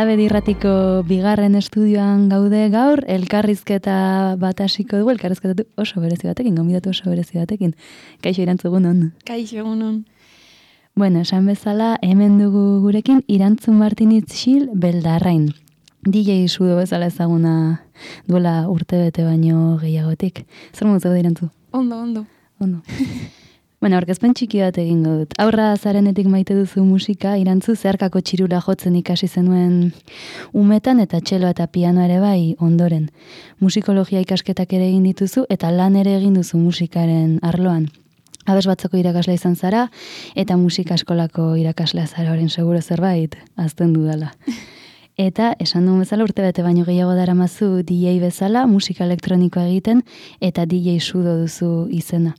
Alabedi irratiko bigarren estudioan gaude gaur, elkarrizketa bat hasiko dugu, elkarrizketa oso berezi batekin, gonbidatu oso berezi batekin. Kaixo Irantzu, egunon. Kaixo, egunon. Bueno, esan bezala, hemen dugu gurekin Irantzu Martinitz Xil Beldarrain. DJ sudo bezala ezaguna duela urtebete baino gehiagotik. Zer modu zaude, Irantzu? Ondo. Bueno, aurkezpen txiki bat egingo dut. Aurra zarenetik maite duzu musika, Irantzu, zeharkako txirula jotzen ikasi zenuen umetan eta txelo eta piano ere bai ondoren. Musikologia ikasketak ere egin dituzu eta lan ere egin duzu musikaren arloan. Abes batzoko irakaslea izan zara eta musika eskolako irakaslea zara, orain seguro zerbait azten dudala. Eta esan duen bezala urtebete baino gehiago daramazu DJ bezala, musika elektronikoa egiten eta DJ sudo duzu izena.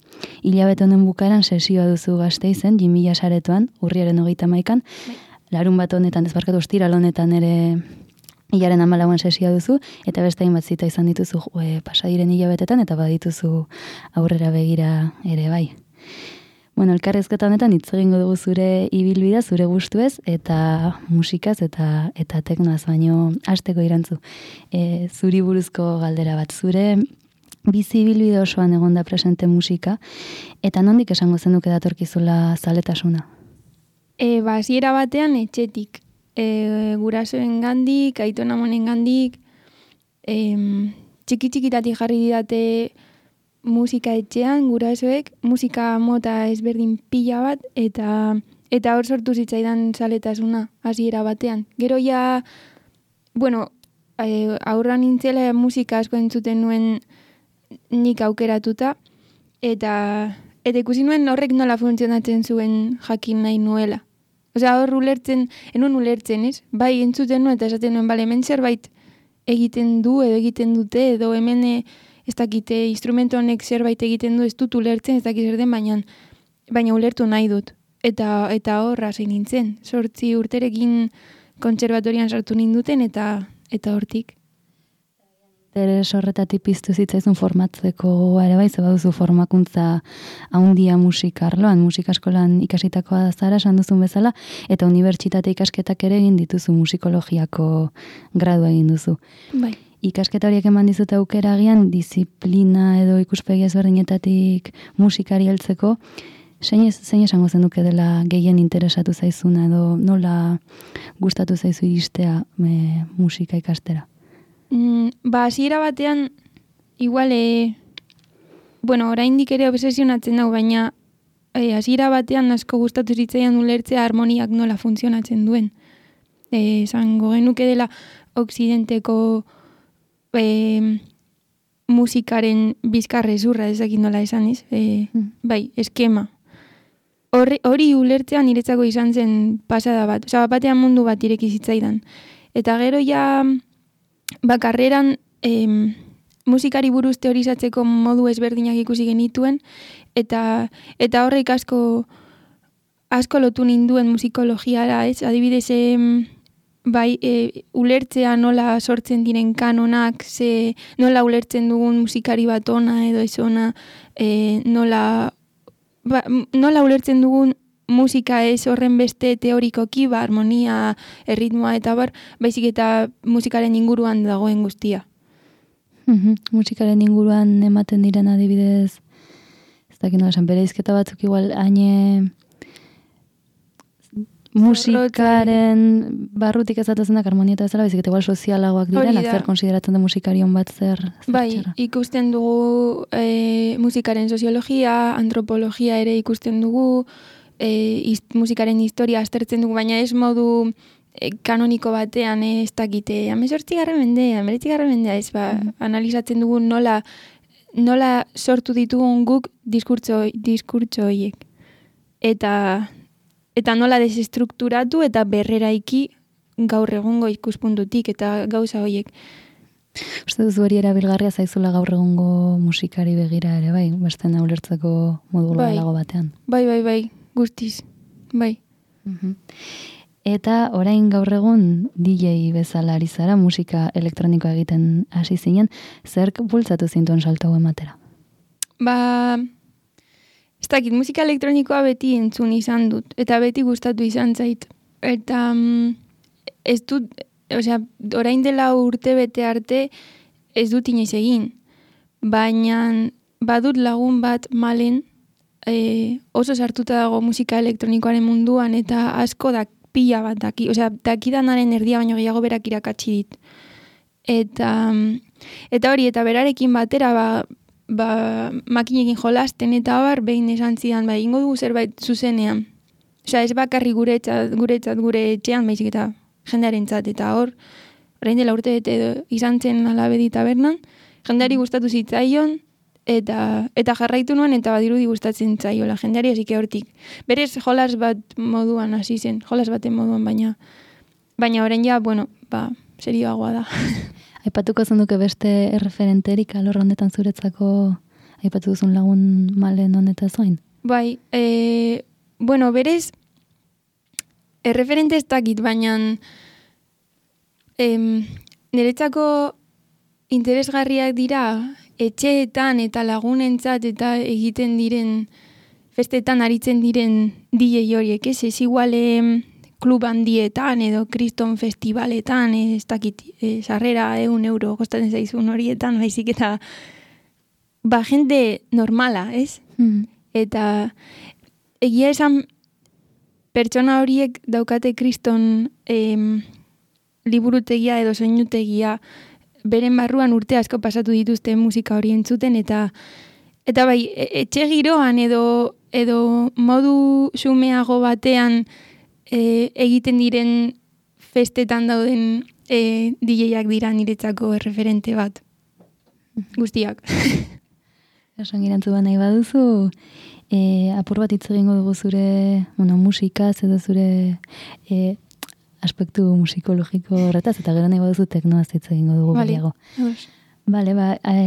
Hilabete honen bukaeran sesioa duzu Gasteizen, 2000 saretoan, urriaren 31an, larun bat honetan, ezbarkatu ostiral honetan ere hilaren 14an sesioa duzu, eta beste hainbat zita izan dituzu pasadiren hilabetetan, eta badituzu aurrera begira ere bai. Bueno, elkarrizketa honetan hitz egingo dugu zure ibilbidea, zure gustuez eta musikaz eta teknoaz, baino hasteko Irantzu. Zuri buruzko galdera bat, zure bizi ibilbide osoan egonda presente musika eta nondik esango zenuke datorkizula zaletasuna? Hasiera batean etxetik, gurasoengandik, aiton amonengandik, txiki-txikitatik jarri didate musika etxean, gurasoek, musika mota ezberdin pila bat, eta hor sortu zitzaidan zaletasuna, hasiera batean. Gero ja, aurra nintzela musika asko entzuten nuen nik aukeratuta, eta ikusi nuen horrek nola funtzionatzen zuen jakin nahi nuela. Osea, hor enun ulertzen, ez? Bai, entzuten nuen, eta esaten nuen, bale, hemen zerbait egiten du, edo egiten dute, edo hemen ez dakite instrumento honek zerbait egiten du, ez dut ulertzen, ez dakit zer den, baina ulertu nahi dut. Eta horra zein nintzen. 8 urterekin kontserbatorian sartu ninduten, eta hortik. Interes horretatik piztu zitzaizun formatzeko ere bai, ze baduzu formakuntza handia musika arloan, musika eskolan ikasitakoa zara, esan duzun bezala, eta unibertsitate ikasketak ere egin dituzu, musikologiako gradua egin duzu. Bai. Ikasketa horiek eman dizute aukera agian, disiplina edo ikuspegi ezberdinetatik musikari heltzeko, zein esango zenuke dela gehien interesatu zaizuna edo nola gustatu zaizu iristea musika ikastera? Hasiera batean, igual, oraindik ere obsesionatzen dago, baina hasiera batean asko gustatu zitzaidan ulertzea harmoniak nola funtzionatzen duen. Esango genuke dela Okzidenteko musikaren bizkarrezurra, ezakit nola esan ez, bai, eskema. Hori ulertzea niretzako izan zen pasada bat, batean mundu bat ireki zitzaidan. Eta gero ja, karreran musikari buruz teorizatzeko modu ezberdinak ikusi genituen, eta horrek asko lotu ninduen musikologiara, ez? Adibidez, bai, ulertzea nola sortzen diren kanonak, nola ulertzen dugun musikari bat ona edo ez ona, nola ulertzen dugun musika ez horren beste teorikoki, harmonia, erritmoa eta baizik eta musikaren inguruan dagoen guztia. Musikaren inguruan ematen diren adibidez, ez dakit nola esan, bereizketa batzuk igual haine musikaren barrutik ezatozenak harmonia eta bezala, baizik eta igual sozialagoak direnak, zer konsideratzen da musikarion bat zer bai, txarra. Ikusten dugu musikaren soziologia, antropologia ere ikusten dugu, musikaren historia aztertzen dugu, baina ez modu kanoniko batean, ez dakite, 18. mendea, 19. mendea, ez analizatzen dugu nola sortu ditugun guk diskurtso horiek. Eta nola desestrukturatu eta berreraiki gaur egungo ikuspuntutik eta gauza horiek. Uste duzu hori erabilgarria zaizula gaur egungo musikari begira ere, bai? Beste ulertzeko modu globalago batean. Bai, guztiz, bai. Eta orain gaur egun DJ bezala ari zara, musika elektronikoa egiten hasi zinen, zerk bultzatu zintuen salto hau ematera? Ez dakit, musika elektronikoa beti entzun izan dut, eta beti gustatu izan zait. Eta ez orain dela urte bete arte ez dut inoiz egin. Baina badut lagun bat Malen, oso sartuta dago musika elektronikoaren munduan eta asko da pila bat daki. Dakidanaren erdia baino gehiago berak irakatsi dit. Eta hori, eta berarekin batera, makinekin jolasten eta behin esan zidan, ingo dugu zerbait zuzenean. Ez bakarri guretzat gure etxean, baizik eta jendearentzat, eta orain dela urte bete izan zen Alabedi tabernan, jendeari gustatu zitzaion, eta jarraitu nuen, eta badirudi gustatzen zaiola jendeari, hasike hortik. Berez jolas bat moduan hasi zen, jolas baten moduan, baina orain ja, serioagoa da. Aipatuko zenduke beste erreferenterik alor honetan zuretzako, aipatu duzun lagun Malen honetaz gain? Bai, berez, erreferente ez dakit, baina niretzako interesgarriak dira etxeetan eta lagunentzat eta egiten diren festetan aritzen diren DJ horiek, ez igual klub handietan edo kriston festivaletan, ez dakit, sarrera €1 kostatzen zaizun horietan, baizik eta jende normala, ez? Eta egia esan pertsona horiek daukate kriston liburutegia edo soinutegia beren barruan urte asko pasatu dituzten musika hori entzuten eta bai, etxe giroan edo modu xumeago batean egiten diren festetan dauden DJak dira niretzako erreferente bat. Guztiak. Esan girantzu nahi baduzu, apur bat hitz egingo dugu zure musikaz edo zure aspektu musikologiko horretaz, eta gero nahi baduzu teknoaz hitz egingo dugu gehiago. Bale,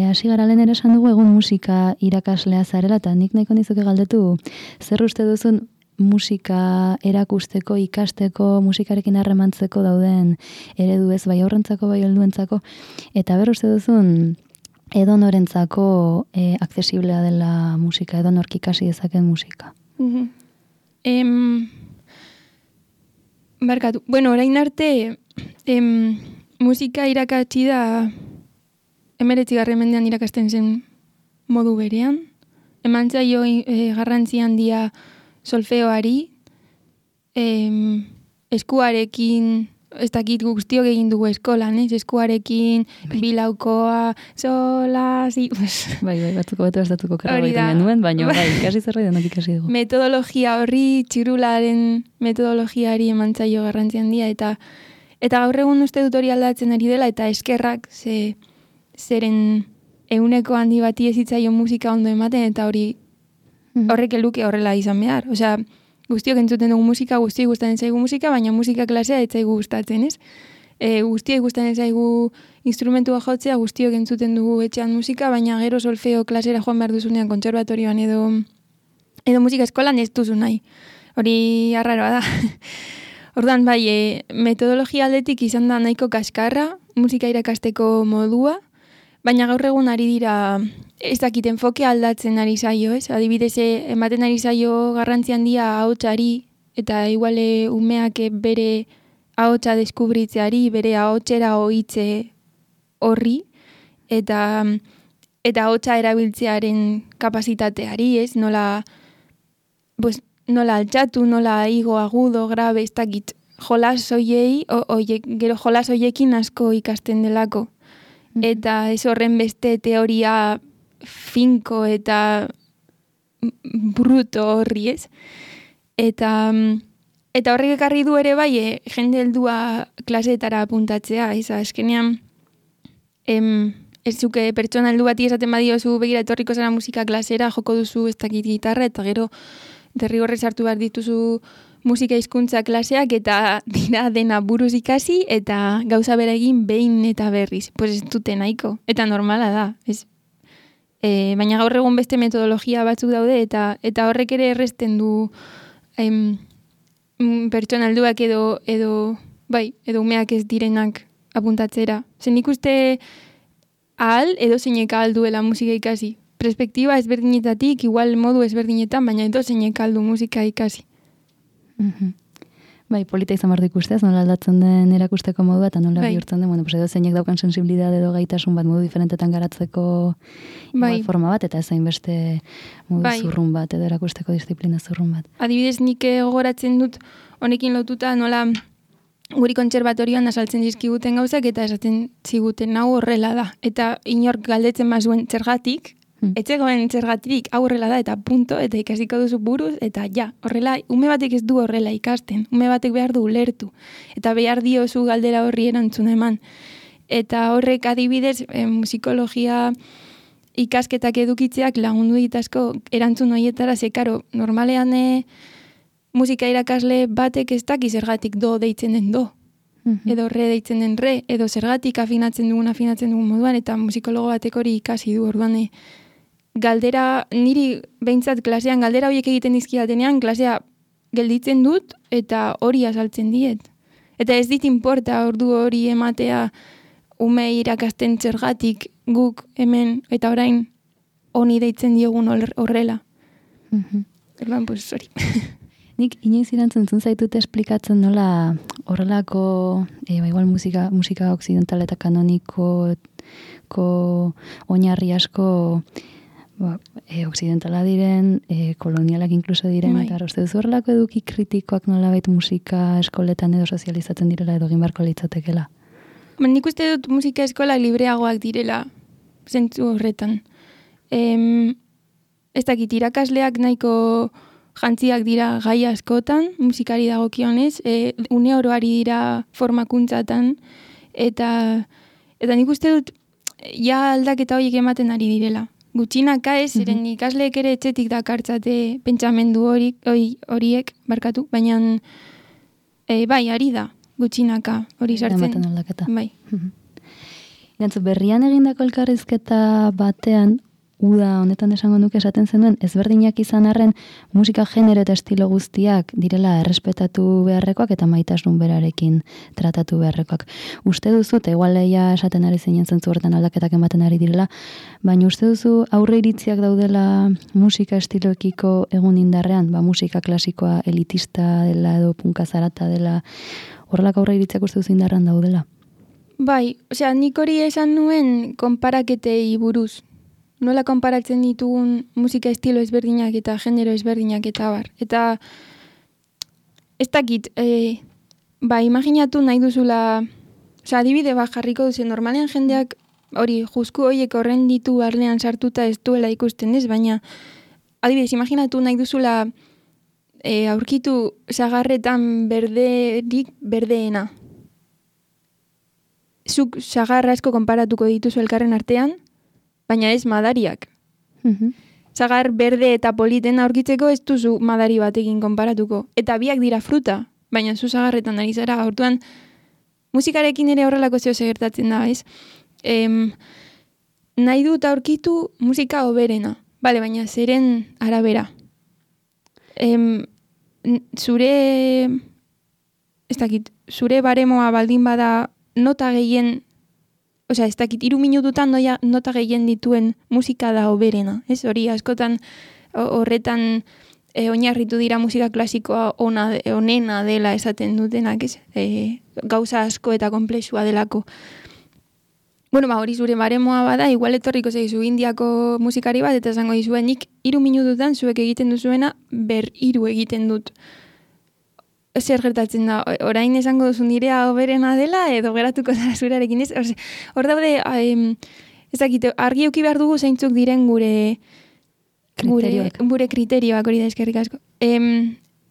hasi gara lehen ere esan dugu egun musika irakaslea zarela, eta nik nahiko nizuke galdetu, zer uste duzun musika erakusteko, ikasteko, musikarekin harremantzeko dauden eredu ez, bai aurrentzako, bai helduentzako, eta ber uste duzun edonorentzako aksesiblea dela musika, edonork ikasi dezaken musika. Barkatu. Orain arte musika irakatsi da 19. mendean irakasten zen modu berean. Eman zaio garrantzi handia solfeoari, eskuarekin, ez dakit guztiok egin dugu eskolan, eskuarekin, bilaukoa, sola, zi... Bai, batzuko betu estatuko karra baiten genuen, baina ikasi zerbait denok ikasi dugu. Metodologia horri, txirularen metodologiari eman zaio garrantzi handia, eta gaur egun uste dut hori aldatzen ari dela, eta eskerrak zeren euneko handi bati ez hitzaio musika ondo ematen, eta horrek eluke horrela izan behar. Guztiok entzuten dugu musika, guztiok gustatzen zaigu musika, baina musika klasea ez zaigu gustatzen, ez? Guztiok gustatzen zaigu instrumentua jotzea, guztiok entzuten dugu etxean musika, baina gero solfeo klasera joan behar duzunean kontserbatorioan edo musika eskolan ez duzu nahi. Hori arraroa da. Ordan bai, metodologia aldetik izan da nahiko kaskarra, musika irakasteko modua, baina gaur egun ari dira ez dakit enfoke aldatzen ari zaio, ez? Adibidez, ematen ari zaio garrantzi handia ahotsari, eta iguale umeak bere ahotsa deskubritzeari, bere ahotsera ohitze horri, eta ahotsa erabiltzearen kapasitateari, ez? Nola altxatu, nola igo, agudo, grabe, ez dakit, jolas hoiei, gero jolas hoiekin asko ikasten delako. Eta ez horren beste teoria finko eta bruto horri, ez? Eta horrek ekarri du ere bai, jende heldua klaseetara apuntatzea, ez? Azkenean, ez zuke pertsona heldu bati esaten badiozu begira etorriko zara musika klasera, joko duzu ez dakit gitarra, eta gero derrigorrez hartu behar dituzu musika hizkuntza klaseak eta dira dena buruz ikasi eta gauza bera egin behin eta berriz. Pues ez dute nahiko. Eta normala da. Baina gaur egun beste metodologia batzuk daude eta horrek ere erresten du pertsona helduak edo umeak ez direnak apuntatzera. Zen ikuste ahal edo zeinek ahal duela musika ikasi. Perspektiba ezberdinetatik, igual modu ezberdinetan, baina edo zeinek ahal du musika ikasi. Bai, polita izan behar du ikustez, nola aldatzen den erakusteko modua, eta nola bihurtzen den, edo zeinek daukan sensibilidade edo gaitasun bat modu diferentetan garatzeko forma bat, eta ezain beste modu zurrun bat, edo erakusteko disiplina zurrun bat. Adibidez, nik gogoratzen dut, honekin lotuta, nola guri kontserbatorioan asaltzen dizkiguten gauzak, eta esaten ziguten hau horrela da. Eta inork galdetzen bazuen zergatik, etxegoen zergatirik hau horrela da, eta punto, eta ikasiko duzu buruz, eta ja, horrela, ume batek ez du horrela ikasten, ume batek behar du ulertu, eta behar diozu galdera horri erantzuna eman. Eta horrek adibidez, musikologia ikasketak edukitzeak lagundu ditazko erantzun horietara, zekaro, normalean musika irakasle batek ez daki zergatik do deitzen den do, edo re deitzen den re, edo zergatik afinatzen dugun moduan, eta musikologo batek hori ikasi du, orduan galdera, niri behintzat klasean galdera horiek egiten dizkidatenean, klasea gelditzen dut eta hori azaltzen diet. Eta ez dit inporta ordu hori ematea ume irakasten zergatik guk hemen eta orain honi deitzen diogun horrela. Erban, pues, sorry. Nik inoiz irantzun zaitut esplikatzen nola horrelako, igual musika occidental eta kanoniko oinarri asko occidentala diren, kolonialak inkluso diren, eta uste duzu horrelako eduki kritikoak nolabait musika eskoletan edo sozializatzen direla edo egin beharko litzatekela? Nik uste dut musika eskola libreagoak direla, zentzu horretan. Ez dakit, irakasleak nahiko jantziak dira gai askotan, musikari dagokionez, une oroari dira formakuntzatan, eta nik uste dut ja aldaketa horiek ematen ari direla. Gutxinaka ez, eren ikasleek ere etxetik dakartzate pentsamendu horiek, barkatu, baina bai, ari da, gutxinaka hori sartzen. Ematen aldaketa. Bai. Gantzu, berrian egindako elkarrizketa batean, uda honetan esango nuke esaten zenuen, ezberdinak izan arren musika genero eta estilo guztiak direla errespetatu beharrekoak eta maitasun berarekin tratatu beharrekoak. Uste duzu, eta igual leia esaten ari zinen zentzu horretan aldaketak ematen ari direla, baina uste duzu aurre iritziak daudela musika estiloekiko egun indarrean, musika klasikoa elitista dela edo punka zarata dela, horrelak aurre iritziak uste duzu indarrean daudela? Bai, osea, nik hori esan nuen konparaketei buruz. Nola konparatzen ditugun musika estilo ezberdinak eta genero ezberdinak eta bar. Eta ez dakit, imaginatu nahi duzula, osea, adibide bat jarriko duzen, normalean jendeak hori juzku horiek horren ditu barnean sartuta ez duela ikusten ez, baina adibidez, imaginatu nahi duzula aurkitu sagarretan berderik berdeena. Zuk sagarra asko konparatuko dituzu elkarren artean, baina ez madariak. Sagar berde eta politena aurkitzeko ez duzu madari batekin konparatuko. Eta biak dira fruta, baina zu sagarretan ari zara. Hortuan, musikarekin ere horrelako zeo gertatzen da, ez? Nahi dut aurkitu musika hoberena. Bale, baina zeren arabera. Zure baremoa baldin bada nota gehien, osea, ez dakit, 3 minututan nota gehien dituen musika da hoberena, ez? Hori askotan horretan oinarritu dira musika klasikoa onena dela esaten dutenak, ez? Gauza asko eta konplexua delako. Bueno, hori zure baremoa bada, igual etorriko zaizu Indiako musikari bat, eta esango dizuen, nik 3 minututan zuek egiten duzuena, 3 egiten dut. Zer gertatzen da, orain esango duzu nirea hoberena dela, edo geratuko zara zurearekin ez? Hor daude, ezakite, argi euki behar dugu zeintzuk diren gure kriterioak, hori da eskerrik asko.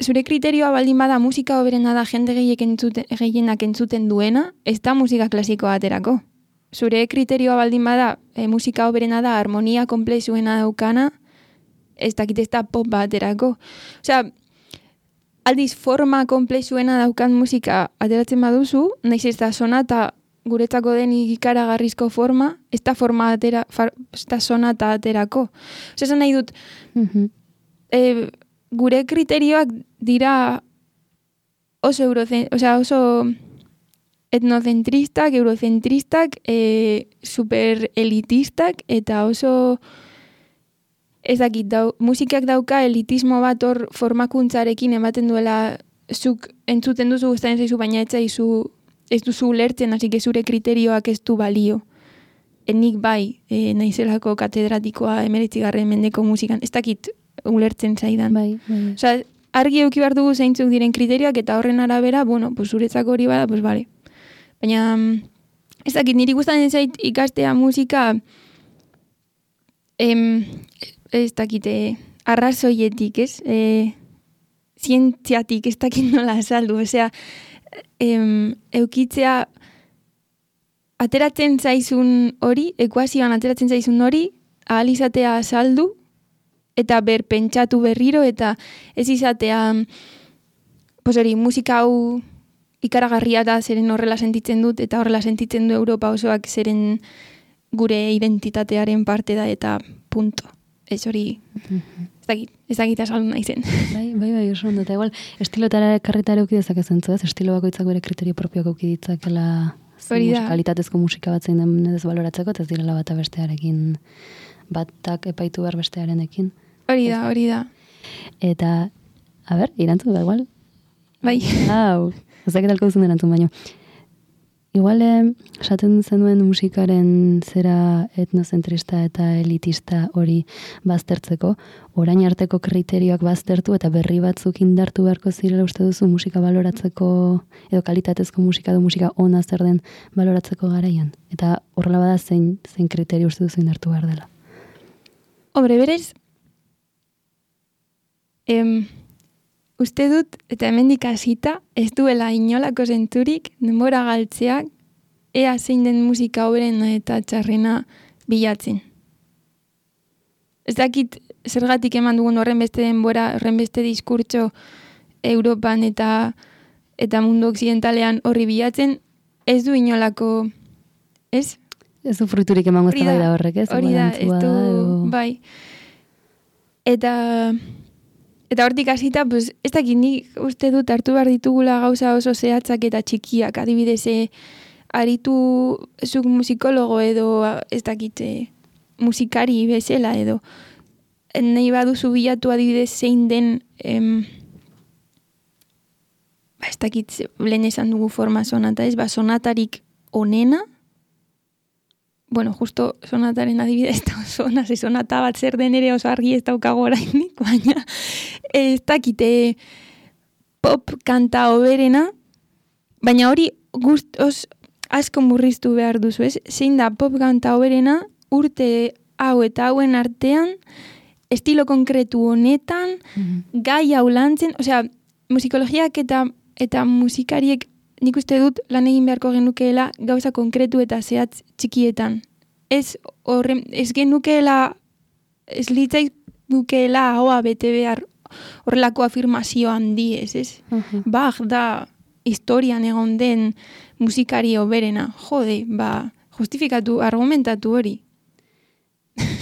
Zure kriterioa baldin bada musika hoberena da jende gehienak entzuten duena, ez da musika klasikoa aterako. Zure kriterioa baldin bada musika hoberena da harmonia komplexuena daukana, ez dakit ez da pop bat aterako. Osea, aldiz forma komplexuena daukan musika ateratzen baduzu, nahiz ez da sonata guretzako den ikaragarrizko forma, ez da sonata aterako. Osea, nahi dut, gure kriterioak dira oso etnocentristak, eurocentristak, super elitistak, eta oso ez dakit, musikak dauka elitismo bat hor formakuntzarekin ematen duela zuk entzuten duzu gustatzen zaizu, baina ez duzu ulertzen, hasi zure kriterioak ez du balio. Nik bai, naizelako katedratikoa 19. mendeko musikan, ez dakit ulertzen zaidan. Bai. Osea, argi eduki behar dugu zeintzuk diren kriterioak, eta horren arabera, pues zuretzako hori bada, pues bale. Baina, ez dakit, niri gustatzen zait ikastea musika, ez dakit, arrazoietik, ez? Zientziatik, ez dakit nola azaldu, osea, eukitzea ateratzen zaizun hori, ekuazioan ateratzen zaizun hori, ahal izatea azaldu, eta pentsatu berriro, eta ez izatea, pues hori, musika hau ikaragarria da zeren horrela sentitzen dut, eta horrela sentitzen du Europa osoak zeren gure identitatearen parte da, eta punto. Ez hori, ez dakit azaldu nahi zen. Bai, oso ondo, eta igual, estilotara karritara euki dezakezen zu, ez? Estilo bakoitzak bere kriterio propioak euki ditzakela kalitatezko musika bat zein den ez baloratzeko, eta ez direla bata bestearekin, batak epaitu behar bestearenekin. Hori da. Eta, a ber, irantzun da, igual? Bai. Hau, ezak edalko duzun erantzun baino. Igual, esaten zenuen musikaren zera etnozentrista eta elitista hori baztertzeko, orain arteko kriterioak baztertu eta berri batzuk indartu beharko zirela uste duzu musika baloratzeko, edo kalitatezko musika edo musika ona zer den baloratzeko garaian. Eta horrela bada zein kriterio uste duzu indartu behar dela. Hombre, berez, uste dut, eta hemendik hasita, ez duela inolako zenturik, denbora galtzeak, ea zein den musika hoberena eta txarrena bilatzen. Ez dakit zergatik eman dugun horren beste denbora, horren beste diskurtso Europan eta mundu occidentalean horri bilatzen, ez du inolako, ez? Ez du fruiturik emango ez da horrek, ez? Hori da, ez du, bai. Eta hortik hasita, pues, ez dakit nik uste dut hartu behar ditugula gauza oso zehatzak eta txikiak, adibidez, aritu zuk musikologo edo ez dakit musikari bezala edo nahi baduzu bilatu adibidez zein den ez dakit lehen esan dugu forma sonata ez, sonatarik onena. Bueno, justo sonataren adibidez sonata bat zer den ere oso argi ez daukago orainik, baina ez dakite pop kanta oberena, baina hori asko murriztu behar duzu, ez? Zein da pop kanta oberena urte hau eta hauen artean, estilo konkretu honetan, gai hau lantzen, osea, musikologiak eta musikariek nik uste dut lan egin beharko genukeela gauza konkretu eta zehatz txikietan. Ez genukeela, ez litzai dukeela ahoa bete behar horrelako afirmazio handi ez? Bach da historian egon den musikari oberena. Jode, justifikatu, argumentatu hori.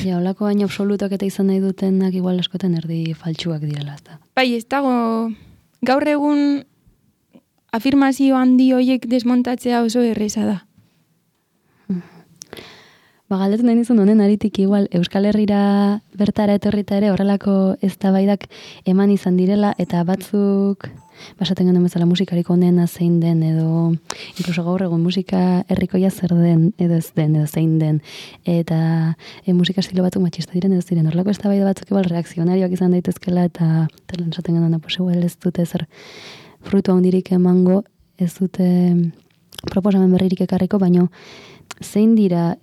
Ja, holako baina absolutak eta izan nahi dutenak igual askotan erdi faltsuak direla. Bai, ez dago gaur egun afirmazio handi horiek desmontatzea oso erreza da. Galdetu nahi nizun honen aritik igual Euskal Herrira bertara etorrita ere horrelako eztabaidak eman izan direla eta batzuk basaten genuen bezala musikarik onena zein den edo incluso gaur egun musika herrikoia zer den edo ez den edo zein den eta musika estilo batzuk matxista diren edo ziren horrelako eztabaida batzuk igual reakzionarioak izan daitezkela eta esaten genuen pues igual ez dute zer frutu handirik emango, ez dute proposamen berririk ekarriko, baino zein dira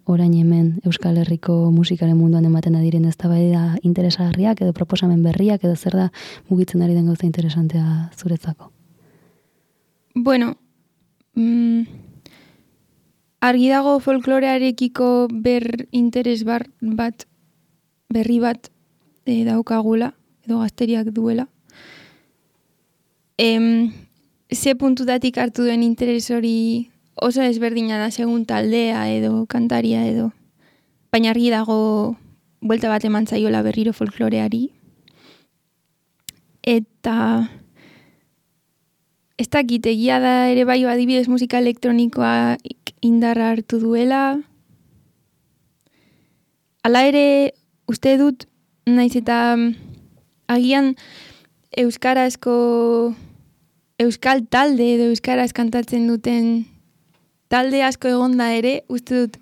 orain hemen Euskal Herriko musikaren munduan ematen diren eztabaida interesgarriak edo proposamen berriak edo zer da mugitzen ari den gauza interesantea zuretzako? Bueno, argi dago folklorearekiko interes berri bat daukagula edo gazteriak duela. Ze puntutatik hartu duen interes hori oso ezberdina da segun taldea edo kantaria edo. Baina argi dago buelta bat eman zaiola berriro folkloreari. Eta ez dakit egia da ere bai adibidez musika elektronikoa indarra hartu duela. Hala ere uste dut naiz eta agian euskarazko euskal talde edo euskaraz kantatzen duten talde asko egonda ere, uste dut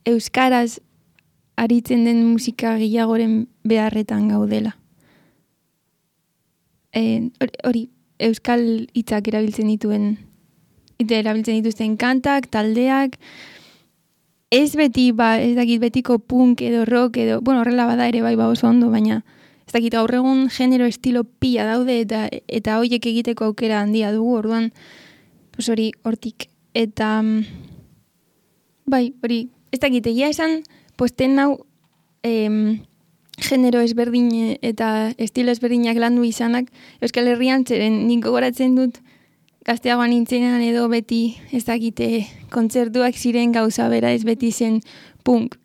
euskaraz aritzen den musika gehiagoren beharretan gaudela. Hori, euskal hitzak erabiltzen dituzten kantak, taldeak, ez beti, ez dakit betiko punk edo rock edo, bueno, horrela bada ere bai oso ondo, baina ez dakit gaur egun genero estilo pila daude eta hoiek egiteko aukera handia dugu, orduan, pues hori, hortik. Eta, bai, hori, ez dakit, egia esan, posten hau genero ezberdin eta estilo ezberdinak landu izanak, Euskal Herrian zeren nik gogoratzen dut gazteagoan nintzenean edo beti ez dakite kontzertuak ziren gauza bera ez beti zen punk,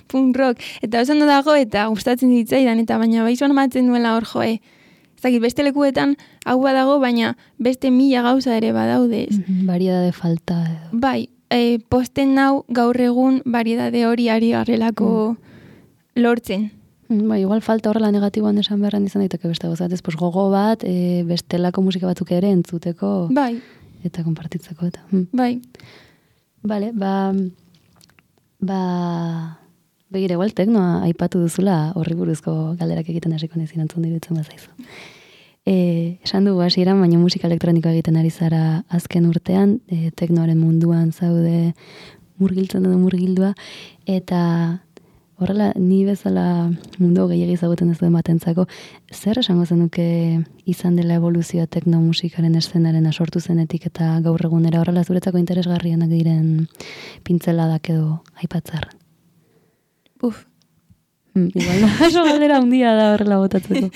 punk rock, eta oso ondo dago eta gustatzen zitzaidan, eta baina bai zoan matzen duela hor joe. Ez dakit, beste lekuetan hau badago, baina beste 1000 gauza ere badaude. Variedade falta. Bai, posten nau gaur egun variedade hori ari garrelako lortzen. Bai, igual falta horrela negatiboan esan beharren izan daiteke beste gozat, ez gogo bat, bestelako musika batzuk ere entzuteko bai. Eta konpartitzeko eta. Bai. Bale, begira, igual teknoa aipatu duzula horri buruzko galderak egiten hasiko naiz erantzun dirutzen bazaizu. Esan dugu hasieran, baina musika elektronikoa egiten ari zara azken urtean, teknoaren munduan zaude murgildua, eta horrela, ni bezala mundu gehiagi zagoten ez duen batentzako, zer esango zenuke izan dela evoluzioa tekno musikaren eszenaren sortu zenetik eta gaur egunera horrela zuretzako interesgarrienak diren pintzeladak edo aipatzarren? Igual, oso galdera handia da horrela botatzeko.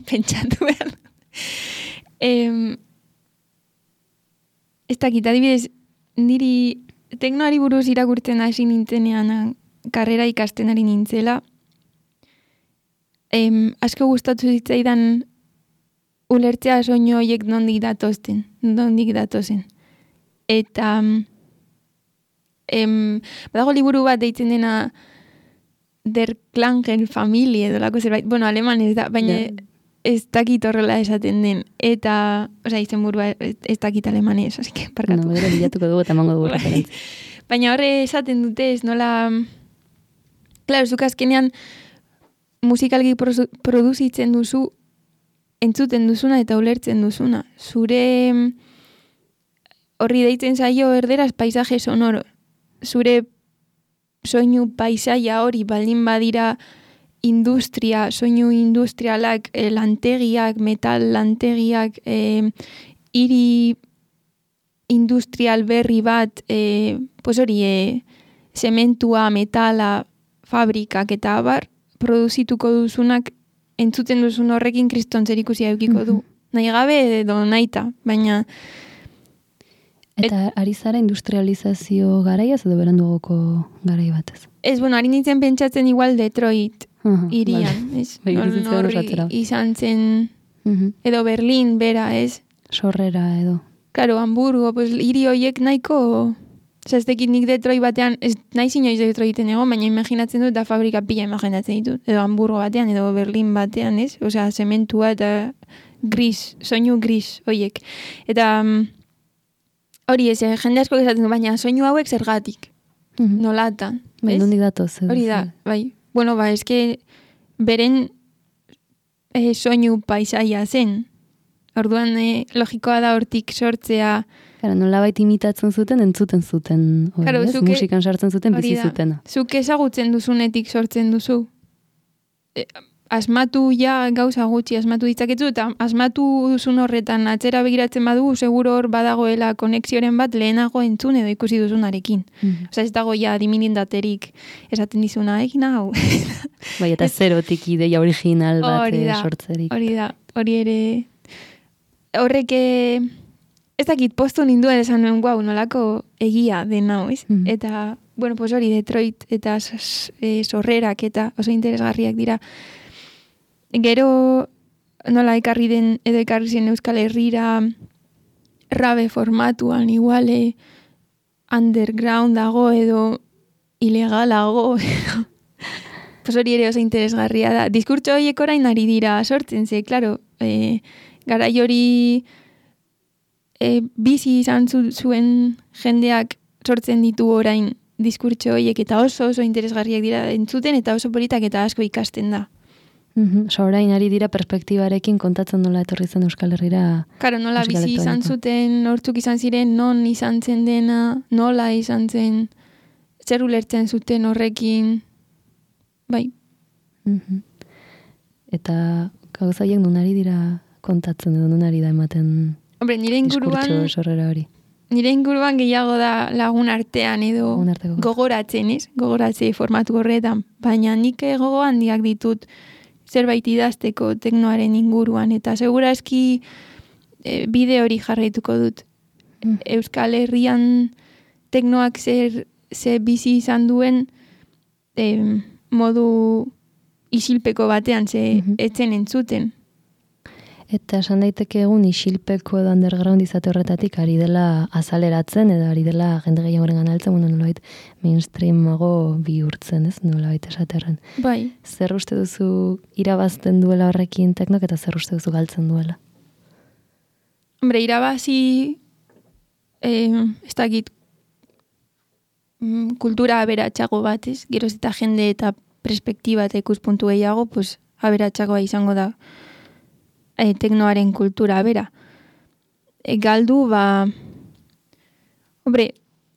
Pentsatu behar. Ez dakit, adibidez, niri teknoari buruz irakurtzen hasi nintzenean karrera ikasten ari nintzela. Asko gustatu zitzaidan ulertzea soinu horiek nondik datozen. Eta badago liburu bat deitzen dena Der Klangen Familie edo lako zerbait. Bueno, aleman ez da, baina ez dakit horrela esaten den. Eta, izen burua ez dakit alemanez, así que parkatu. No, bera bilatuko dugu eta mango dugu referentzia. Baina horre esaten dute ez nola... Claro, zuk azkenean musikalgi produzitzen duzu, entzuten duzuna eta ulertzen duzuna. Zure horri deitzen zaio erderaz paisaje sonoro. Zure soinu paisaia hori baldin badira soinu industrialak, lantegiak, metal lantegiak, hiri industrial berri bat, pues hori, zementua, metala, fabrikak eta abar, produzituko duzunak, entzuten duzun horrekin kriston zerikusia eukiko du. Nahi gabe edo naita, baina... Eta ari zara industrializazio garaiaz edo berandugoko garai batez? Ez, bueno, ari nintzen pentsatzen igual Detroit irian, ez? Norri izan zen, edo Berlin, bera, ez? Sorrera edo. Claro, Hamburgo, pues hiri horiek nahiko... Ez dekit nik Detroit batean, ez nahi inoiz Detroiten egon, baina imaginatzen dut da fabrika pila imaginatzen ditut. Edo Hamburgo batean, edo Berlin batean, ez? Osea, zementua eta gris, soinu gris horiek. Eta... Hori ez, jende asko esaten du, baina soinu hauek zergatik. Nolatan. Bai, nondik datoz. Hori da, bai. Bueno, eske beren soinu paisaia zen. Orduan logikoa da hortik sortzea. Claro, nolabait imitatzen zuten, entzuten zuten. Claro, musikan sartzen zuten, bizi zutena. Zuk ezagutzen duzunetik sortzen duzu. Asmatu gauza gutxi asmatu ditzaketzu, eta asmatu duzun horretan atzera begiratzen badugu, seguro hor badagoela konexioren bat lehenago entzun edo ikusi duzunarekin. Osa ez dago diminindaterik esaten dizuna egin hau. Bai, eta zerotik ideia original bat sortzerik. Hori ere... Horrek ez dakit postu ninduen esan nuen guau, nolako egia den hau, ez? Eta, bueno, pues hori Detroit eta sorrerak eta oso interesgarriak dira. Gero nola ekarri zen Euskal Herrira rabe formatuan iguale underground dago edo ilegalago. pues hori ere oso interesgarria da. Diskurtso horiek orain ari dira sortzen, ze, klaro, garai hori bizi izan zuen jendeak sortzen ditu orain diskurtso horiek eta oso interesgarriak dira entzuten eta oso politak eta asko ikasten da. Orain ari dira perspektibarekin kontatzen nola etorri zen Euskal Herrira. Karo, nola bizi izan zuten, nortzuk izan ziren, non izan zen dena, nola izan zen, zer ulertzen zuten horrekin, bai. Eta gauzaiek nun ari dira kontatzen edo nun ari da ematen diskurtso sorrera hori. Nire inguruan gehiago da lagun artean edo gogoratzen, ez? Gogoratze formatu horretan. Baina nik gogo handiak ditut zerbait idazteko teknoaren inguruan. Eta segurazki bide hori jarraituko dut. Euskal Herrian teknoak ze bizi izan duen modu isilpeko batean ze etzen entzuten. Eta esan daiteke egun isilpeko edo underground izate horretatik ari dela azaleratzen edo ari dela jende gehiagoren ganaltzen, nolabait mainstreamago bihurtzen, ez? Nolabait esaterren. Bai. Zer uste duzu irabazten duela horrekin teknok eta zer uste duzu galtzen duela? Hombre, irabazi ez dakit kultura aberatsago bat, ez? Geroz eta jende eta perspektiba eta ikuspuntu gehiago, pues aberatsagoa izango da teknoaren kultura bera. Galdu, hombre,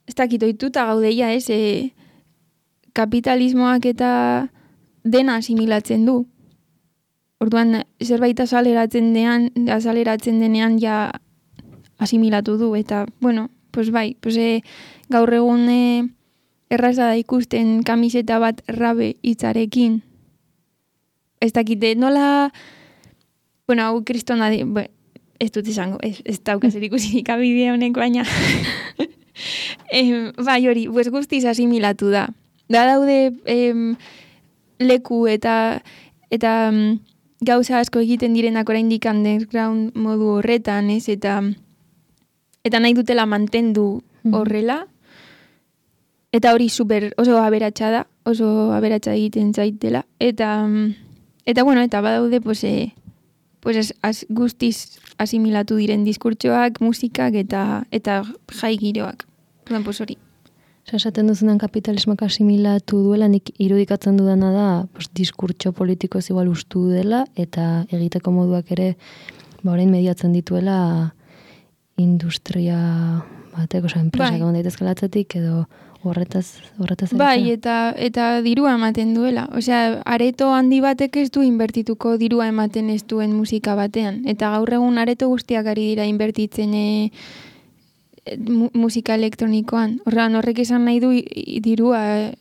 ez dakit oituta gaudeia, ez? Kapitalismoak eta dena asimilatzen du. Orduan, zerbait azaleratzen denean ja asimilatu du. Eta, bueno, pues bai, pues, gaur egun erraza da ikusten kamiseta bat rabe hitzarekin. Ez dakite, nola... Bueno, hau kristona ez dut izango, ez daukazer ikusirik abide honek, baina bai hori, guztiz asimilatu da. Daude leku eta gauza asko egiten direnak oraindik underground modu horretan, ez? Eta nahi dutela mantendu horrela. Eta hori oso aberatsa da, oso aberatsa egiten zaitela. Eta bueno, eta badaude, guztiz asimilatu diren diskurtsoak, musikak eta jai giroak. Pues hori. Esaten duzunan kapitalismoak asimilatu duela, nik irudikatzen dudana da, diskurtso politiko ez igual ustu dela, eta egiteko moduak ere, orain mediatzen dituela industria batek, enpresak egon daitezkela atzetik, edo horretaz bai, eta dirua ematen duela. Osea, areto handi batek ez du inbertituko dirua ematen ez duen musika batean. Eta gaur egun areto guztiak ari dira inbertitzen musika elektronikoan. Horrek esan nahi du dirua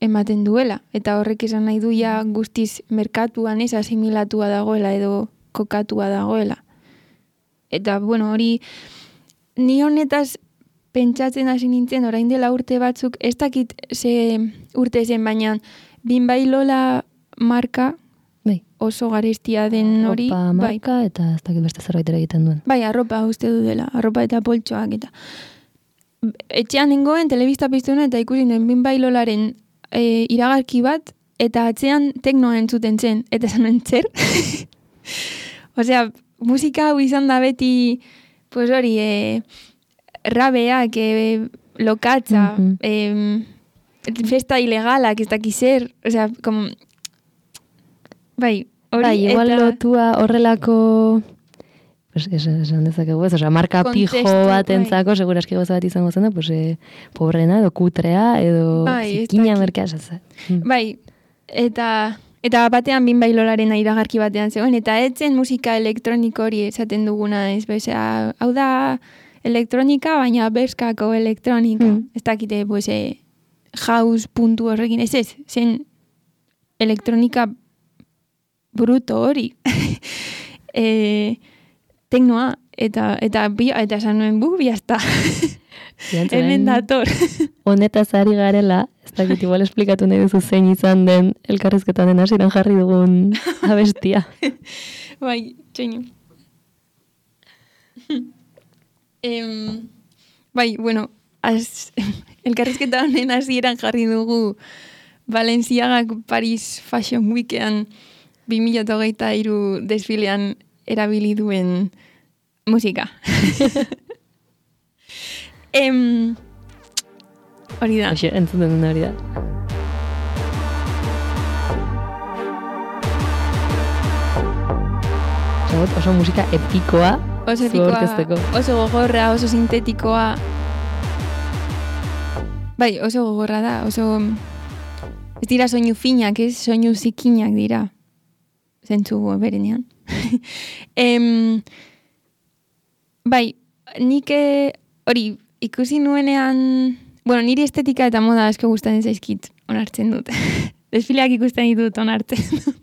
ematen duela. Eta horrek esan nahi du ja guztiz merkatuan ez asimilatua dagoela edo kokatua dagoela. Eta, bueno, hori ni honetaz pentsatzen hasi nintzen, orain dela urte batzuk, ez dakit ze urte zen, baina Binbai Lola marka oso garestia den hori. Arropa marka eta ez dakit beste zerbait ere egiten duen. Bai, arropa uste du dela, arropa eta poltsoak eta. Etxean nengoen, telebista piztu eta ikusi den Binbai Lolaren iragarki bat, eta atzean teknoa entzuten zen, eta esan zer. Osea, musika hau izan da beti, pues hori, rabeak, lokatza, festa ilegalak, ez dakiz zer, osea, como... Bai, hori, bai, igual lotua horrelako... Pues esan dezakegu ez, osea, marka pijo bat entzako, seguraski goza bat izango zen da, pues, pobrena, edo kutrea, edo zikina merkea esatzen. Bai, eta batean Binbai Lolaren iragarki batean zegoen, eta etzen musika elektroniko hori esaten duguna, ez, bezea, hau da... elektronika, baina berskako elektronika. Ez dakite, pues, house puntu horrekin. Ez, zen elektronika bruto hori. Teknoa, eta esan nuen biazta. Hemen dator. Honetaz ari garela, ez dakit igual esplikatu nahi duzu zein izan den elkarrizketan den hasieran jarri dugun abestia. Bai, txeinu. Bai, bueno, elkarrizketa honen hasieran jarri dugu Balenciagak Paris Fashion Weekean 2023 desfilean erabili duen musika. Hori da. Hoxe, entzuten duen hori da. Oso musika epikoa, oso gogorra, oso sintetikoa. Bai, oso gogorra da, oso... Ez dira soinu finak, ez soinu zikinak dira. Zentzu berenean. Bai, nik hori ikusi nuenean... Bueno, niri estetika eta moda asko gustatzen zaizkit, onartzen dut. Desfileak ikusten ditut, onartzen dut.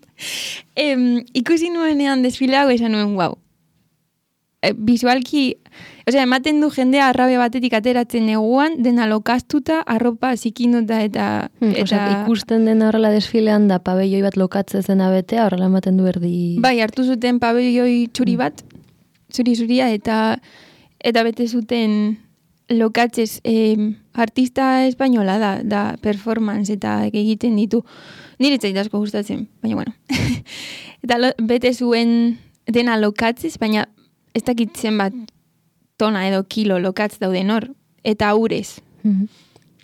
Ikusi nuenean desfileago esan nuen, wow. Visualki, ematen du jendea arrabe batetik ateratzen neguan, dena lokaztuta, arropa zikinuta eta... ikusten dena horrela desfilean da pabelloi bat lokatze zena betea, horrela ematen du erdi... Bai, hartu zuten pabelloi txuri bat, zuri-zuria, eta bete zuten lokatzez artista espainola da performance eta egiten ditu. Nire zait asko gustatzen, baina bueno. Eta bete zuen dena lokatzez, baina ez dakitzen bat tona edo kilo lokatz dauden hor, eta urez.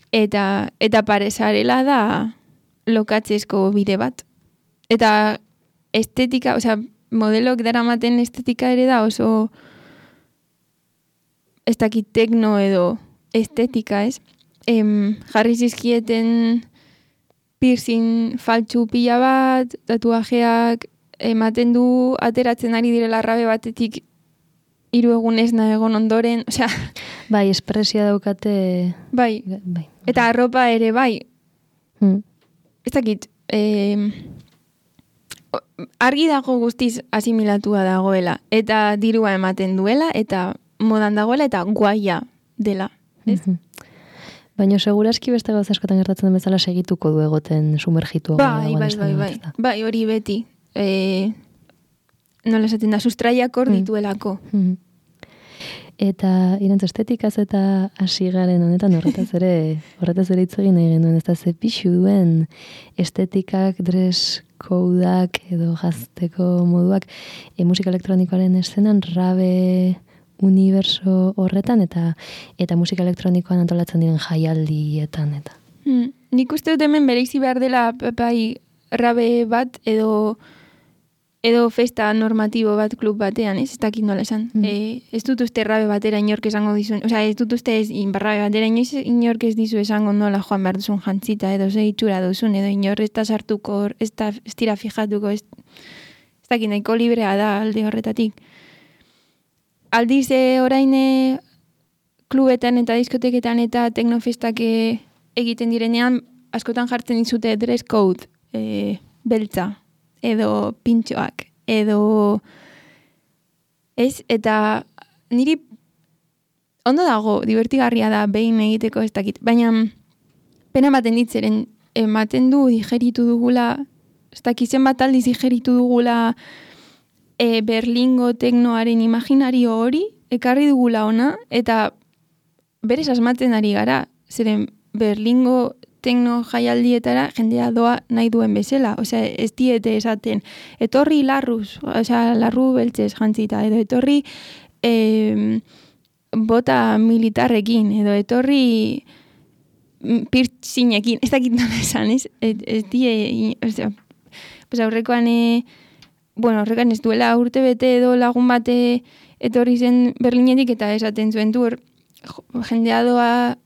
Eta paresarela da lokatzezko bide bat. Eta estetika, modelok daramaten estetika ere da oso ez dakit tekno edo estetika, ez? Jarri zizkieten piercing faltsu pila bat, tatuajeak, ematen du ateratzen ari direla arrabe batetik 3 egunez egon ondoren, Bai, espresia daukate... Bai, eta arropa ere bai. Ez dakit, argi dago guztiz asimilatua dagoela, eta dirua ematen duela, eta modan dagoela, eta guaia dela, ez? Baina seguraski beste gauza askotan gertatzen den bezala segituko du egoten sumergitu. Bai, hori beti. Nola esaten da, sustraiak hor dituelako. Eta irantzu estetikaz eta hasi garen honetan horretaz ere hitz egin nahi genuen, ez da ze pixu duen estetikak, dress codeak edo jazteko moduak musika elektronikoaren eszenan rabe universo horretan eta musika elektronikoan antolatzen diren jaialdietan eta. Nik uste dut hemen bereizi behar dela bai rabe bat edo festa normatibo bat klub batean, ez dakit nola esan. Ez dut uste rabe batera inork esango dizuen, ez dut uste rabe batera inork ez dizu esango nola joan behar duzun jantzita edo ze itxura duzun, edo inor ez da sartuko, ez dira fijatuko, ez dakit nahiko librea da alde horretatik. Aldiz orain klubetan eta diskoteketan eta teknofestak egiten direnean, askotan jartzen dizute dress code beltza, edo pintxoak, edo ez, eta niri ondo dago, divertigarria da behin egiteko ez dakit, baina pena ematen ditzeren, ematen du digeritu dugula, ez dakitzen bat aldiz digeritu dugula Berlingo teknoaren imaginario hori, ekarri dugula ona, eta berez asmatzen ari gara, zeren Berlingo tekno jaialdietara jendea doa nahi duen bezala, ez diete esaten, etorri larruz, larru beltzez jantzita, edo etorri bota militarrekin, edo etorri piercingekin, ez dakit nola esan, ez die, aurrekoan horrekan ez duela urte bete edo lagun bate etorri zen Berlinetik eta esaten zuen du jendea doa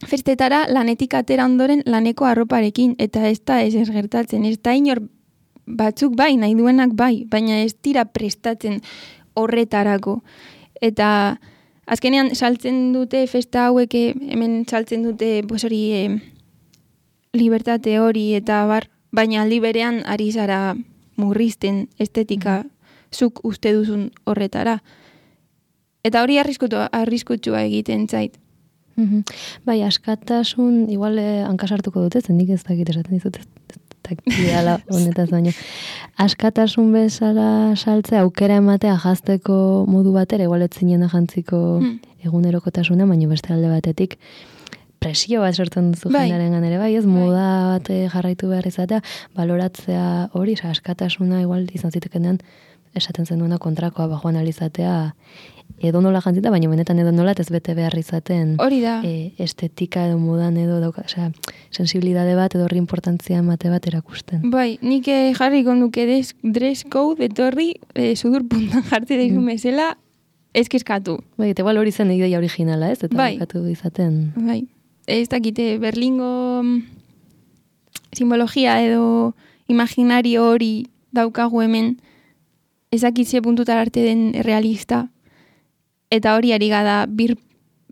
festetara lanetik atera ondoren laneko arroparekin, eta ez da ez gertatzen, ez da inor batzuk bai, nahi duenak bai, baina ez dira prestatzen horretarako. Eta azkenean saltzen dute festa hauek, hemen saltzen dute libertate hori eta baina aldi berean ari zara murrizten estetika zuk uste duzun horretara. Eta hori arriskutsua egiten zait. Bai, askatasun, igual hankasartuko dute, zendik ez dakit esaten dizut, takidala honetaz baino. Askatasun bezala saltzea, aukera ematea jazteko modu batera, igual ez zinen jantziko egunerokotasuna, baina beste alde batetik, presio bat sortzen duzu jendearengan ere bai, ez moda bat jarraitu behar izatea, baloratzea hori, askatasuna igual izan zitekenean esaten zenduena kontrakoa bajo analizatea edo nola jantzita, baina benetan edo nola ez bete behar izaten hori da. Estetika edo modan edo dauka, sensibilidade bat edo horri importantzia emate bat erakusten. Bai, nik jarriko nuke dress code etorri sudur puntan jartze daizu mesela eskeskatu. Bai, eta igual hori zen ideia originala, ez? Eta bakatu izaten. Bai, ez dakite Berlingo simbologia edo imaginario hori daukagu hemen ezakitze puntutar arte den realista, eta hori ari gada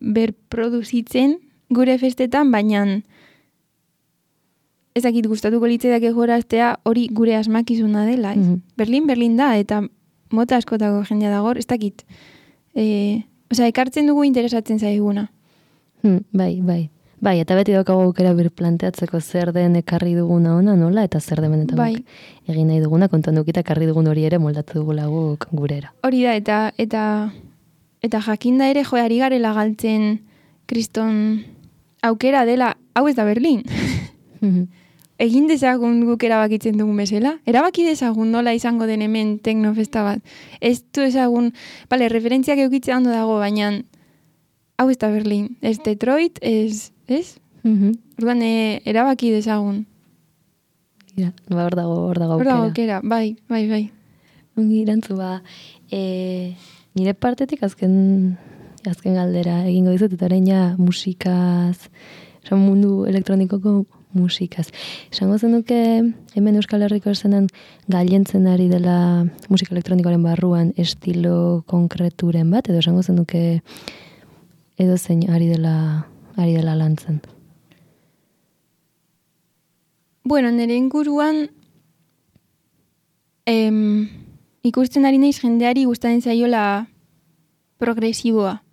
berproduzitzen gure festetan, baina ezakit gustatuko litzeak egoraztea hori gure asmakizuna dela. Berlin da, eta mota askotako jendea dagor, ez dakit. Ekartzen dugu interesatzen zaiguna. Bai, eta beti daukagu aukera birplanteatzeko zer den ekarri duguna ona, nola, eta zer den benetan egin nahi duguna, kontuan dukita ekarri dugun hori ere moldatu dugula guk gurera. Hori da, eta jakinda ere joari garela galtzen kriston aukera dela, hau ez da Berlin. Egin dezagun guk erabakitzen dugun bezala. Erabaki dezagun nola izango den hemen teknofesta bat. Ez du ezagun, referentziak eukitzea ondo dago, baina hau ez da Berlin. Ez Detroit, ez? Orduan, erabaki dezagun. Hor dago aukera. Hor dago aukera, bai. Ongi irantzu nire partetik azken galdera egingo dizut, eta orain ja musikaz, mundu elektronikoko musikaz. Esango zenuke hemen Euskal Herriko esenan gailentzen ari dela musika elektronikoaren barruan estilo konkreturen bat, edo esango zenuke edo zein ari dela lantzen? Bueno, nire inguruan ikusten ari naiz jendeari gustatzen zaiola progresiboa.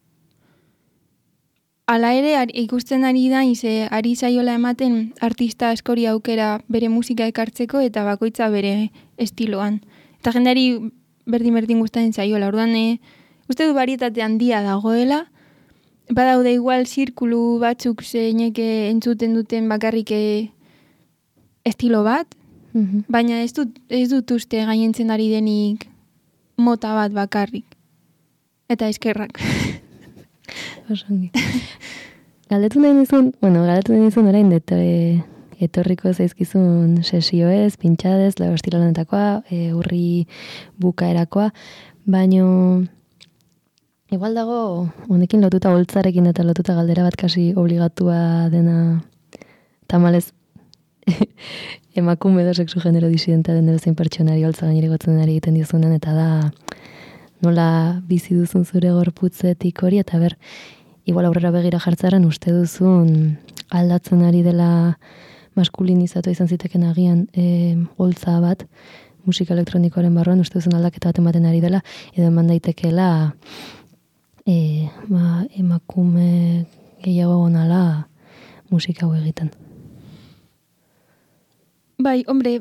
Hala ere, ikusten ari naiz ari zaiola ematen artista askori aukera bere musika ekartzeko eta bakoitza bere estiloan. Eta jendeari berdin gustatzen zaiola. Orduan, uste du barietate handia dagoela, badaude igual zirkulu batzuk zeinek entzuten duten bakarrik estilo bat, baina ez dut uste gainentzen ari denik mota bat bakarrik. Eta eskerrak. Osongi. Galdetu nahi nizun orain etorriko zaizkizun sesioez, pintxadez, estilo lanetakoa, urri bukaerakoa, baino igual dago honekin lotuta holtzarekin eta lotuta galdera bat kasi obligatua dena tamalez emakume edo sexu genero disidenta den edozein pertsonari holtza gainerigotzen ari egiten dizunen, eta da nola bizi duzun zure gorputzetik hori, eta igual aurrera begira jartzaren uste duzun aldatzen ari dela maskulinizatu izan ziteken agian holtza bat musika elektronikoaren barruan, uste duzun aldaketa bat ematen ari dela, edo eman daitekeela emakume gehiago gonala musika hau egiten. Bai, hombre,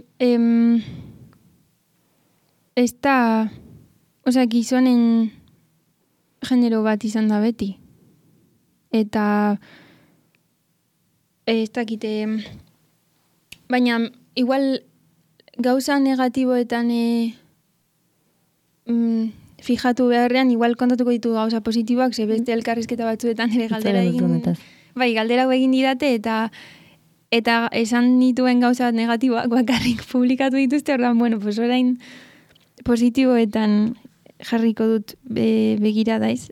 ez da, gizonen genero bat izan da beti. Eta ez dakite, baina igual gauza negatiboetan fijatu beharrean, igual kontatuko ditu gauza positiboak, ze beste elkarrizketa batzuetan ere galdera egin didate, eta esan dituen gauza negatiboak bakarrik publikatu dituzte, orduan, bueno, pues orain positiboetan jarriko dut begiradaiz.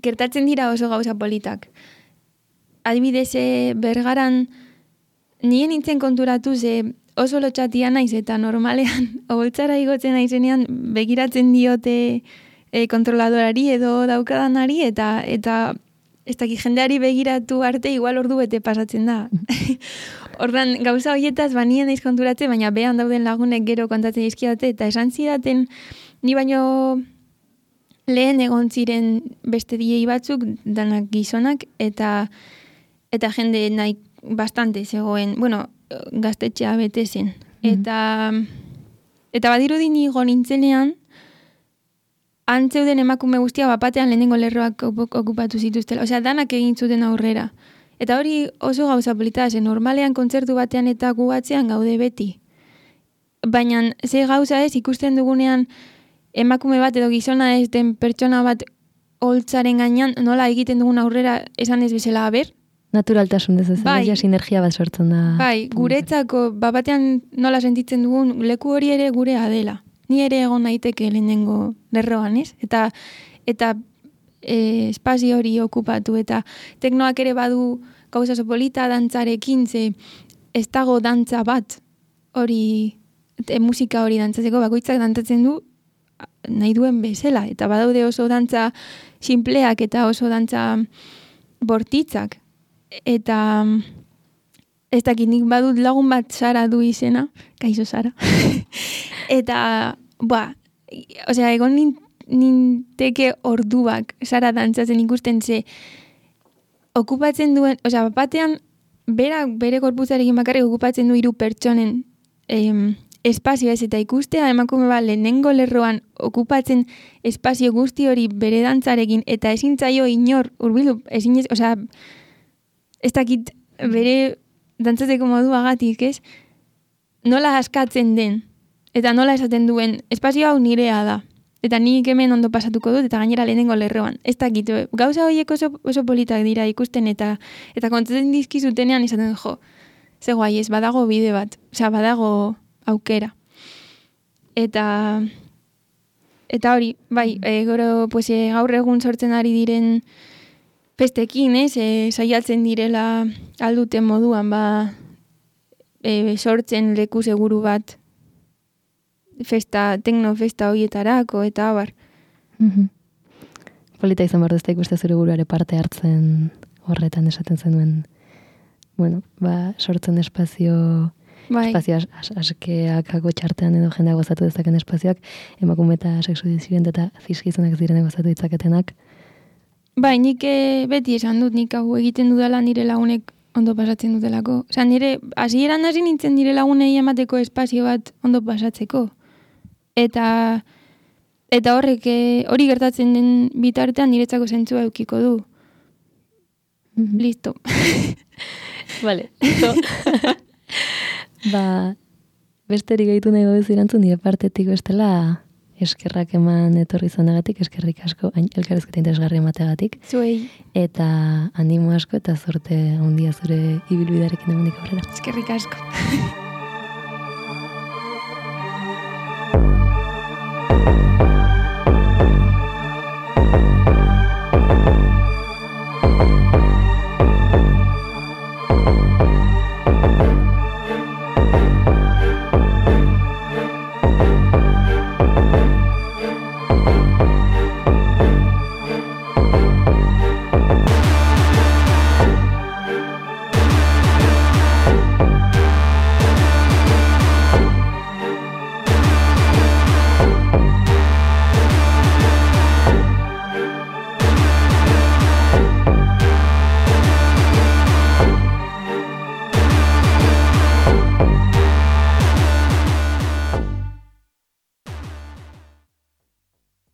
Gertatzen dira oso gauza politak. Adibidez, Bergaran nien nintzen konturatu oso lotxatia naiz eta normalean oholtzara igotzen naizenean begiratzen diote kontroladorari edo daukadanari eta ez dakit jendeari begiratu arte igual ordu bete pasatzen da. Ordan gauza horietaz nien naiz konturatzen, baina behan dauden lagunek gero kontatzen dizkidate eta esan zidaten ni baino lehen egon ziren beste DJ batzuk, danak gizonak, eta jende nahi bastante zegoen, bueno, gaztetxea bete zen. Eta badirudi nigo nintzenean, antzeuden emakume guztia bapatean lehenengo lerroak okupatu zituztela. Osea, danak egin zuten aurrera. Eta hori oso gauza polita, normalean kontzertu batean eta gu atzean gaude beti. Baina ze gauza ez ikusten dugunean emakume bat edo gizona ez den pertsona bat holtzaren gainean nola egiten dugun aurrera esan ez bezala ber? Naturaltasun ez Bai. sinergia bat sortzen da. Bai, guretzako batean nola sentitzen dugun leku hori ere gurea dela. Ni ere egon naiteke lehenengo lerroan, ez? Eta espazio hori okupatu eta teknoak ere badu gauza oso polita dantzarekin, ze ez dago dantza bat hori musika hori dantzatzeko bakoitzak dantzatzen du nahi duen bezala eta badaude oso dantza sinpleak eta oso dantza bortitzak eta ez dakit nik badut lagun bat Sara du izena, kaixo Sara. Eta, osea, egon ninteke orduak Sara dantzatzen ikusten ze okupatzen duen, osea, batean bere gorputzarekin bakarrik okupatzen du 3 pertsonen espazio ez eta ikustea emakume bat lehenengo lerroan okupatzen espazio guzti hori bere dantzarekin eta ezin zaio inor hurbildu, osea, ez dakit bere dantzatzeko moduagatik, ez? Nola askatzen den eta nola esaten duen espazio hau nirea da. Eta nik hemen ondo pasatuko dut eta gainera lehenengo lerroan. Ez dakit, gauza horiek oso politak dira ikusten eta kontzatzen dizkizutenean esaten jo, ze guai ez, badago bide bat, osea, badago aukera. Eta hori, bai, gero, pues, gaur egun sortzen ari diren festekin, ez, saiatzen direla alduten moduan, sortzen leku seguru bat tekno festa horietarako, eta abar. Polita izan behar duzta ikuste zure buruare parte hartzen horretan esaten zenuen, sortzen espazio askeak txartean edo jendea gozatu dezaken espazioak, emakume eta sexu disidentea eta zizkizunak ziren gozatu ditzaketenak. Bai, nik beti esan dut, nik hau egiten dudala nire lagunek ondo pasatzen dutelako. Osa, nire hasieran hasi nintzen nire lagunei emateko espazio bat ondo pasatzeko. Eta horrek hori gertatzen den bitartean niretzako zentzua eukiko du. Listo. Vale, listo. Besterik gaitu nahi gauz irantzun nire partetik bestela eskerrak eman etorri zonagatik, eskerrik asko, elkarrezketa interesgarri emateagatik. Zuei. Eta animo asko eta zorte handia zure ibilbidearekin emandik aurrera. Eskerrik asko.